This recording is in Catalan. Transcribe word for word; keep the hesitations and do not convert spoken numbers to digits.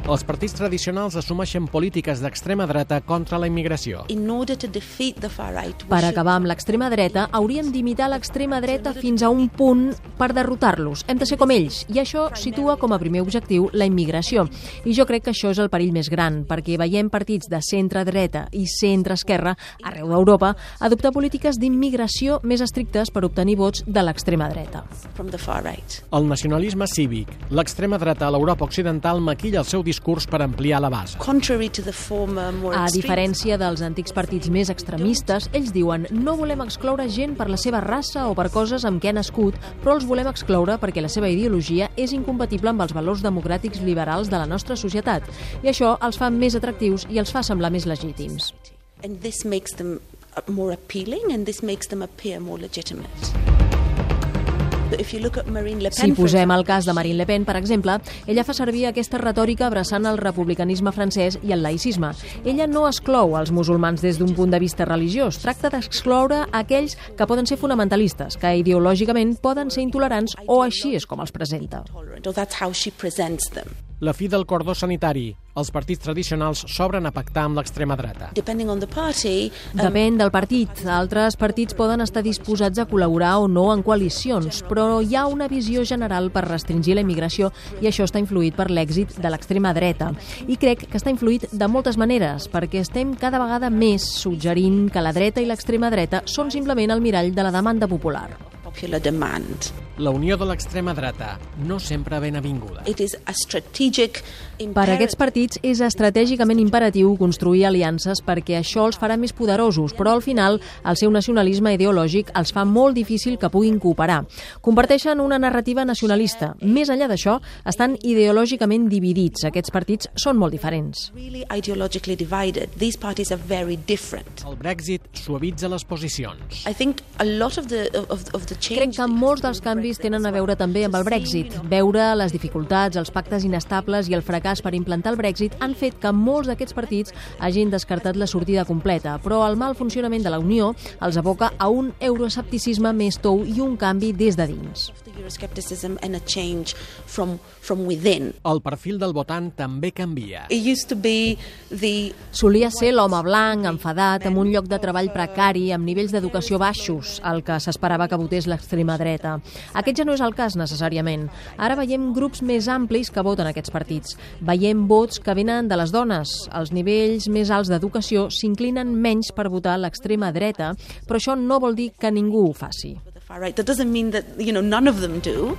Els partits tradicionals assumeixen polítiques d'extrema dreta contra la immigració. Per acabar amb l'extrema dreta, hauríem d'imitar l'extrema dreta fins a un punt per derrotar-los. Hem de ser com ells, i això situa com a primer objectiu la immigració. I jo crec que això és el perill més gran, perquè veiem partits de centre-dreta i centre-esquerra arreu d'Europa adoptar polítiques d'immigració més estrictes per obtenir vots de l'extrema dreta. El nacionalisme cívic. L'extrema dreta a l'Europa occidental maquilla el seu discurs per ampliar la base. A diferència dels antics partits més extremistes, ells diuen no volem excloure gent per la seva raça o per coses amb què ha nascut, però els volem excloure perquè la seva ideologia és incompatible amb els valors democràtics liberals de la nostra societat. I això els fa més atractius i els fa semblar més legítims. And this makes them more appealing and this makes them appear more legitimate. Si posem el cas de Marine Le Pen, per exemple, ella fa servir aquesta retòrica abraçant el republicanisme francès i el laïcisme. Ella no exclou els musulmans des d'un punt de vista religiós, tracta d'excloure aquells que poden ser fonamentalistes, que ideològicament poden ser intolerants o així és com els presenta. La fi del cordó sanitari. Els partits tradicionals s'obren a pactar amb l'extrema dreta. Depèn del partit. Altres partits poden estar disposats a col·laborar o no en coalicions, però hi ha una visió general per restringir la immigració i això està influït per l'èxit de l'extrema dreta. I crec que està influït de moltes maneres, perquè estem cada vegada més suggerint que la dreta i l'extrema dreta són simplement el mirall de la demanda popular. La unió de l'extrema dreta, no sempre ben avinguda. Per a aquests partits és estratègicament imperatiu construir aliances perquè això els farà més poderosos, però al final el seu nacionalisme ideològic els fa molt difícil que puguin cooperar. Comparteixen una narrativa nacionalista. Més enllà d'això, estan ideològicament dividits. Aquests partits són molt diferents. El Brexit suavitza les posicions. Crec que molts dels canvis tenen a veure també amb el Brexit. Veure les dificultats, els pactes inestables i el fracàs per implantar el Brexit han fet que molts d'aquests partits hagin descartat la sortida completa, però el mal funcionament de la Unió els aboca a un euroescepticisme més tou i un canvi des de dins. El perfil del votant també canvia. Solia ser l'home blanc, enfadat, amb un lloc de treball precari, amb nivells d'educació baixos, el que s'esperava que votés l'extrema dreta. Aquest ja no és el cas necessàriament. Ara veiem grups més amplis que voten aquests partits. Veiem vots que venen de les dones. Els nivells més alts d'educació s'inclinen menys per votar l'extrema dreta, però això no vol dir que ningú ho faci. That doesn't mean that, you know, none of them do.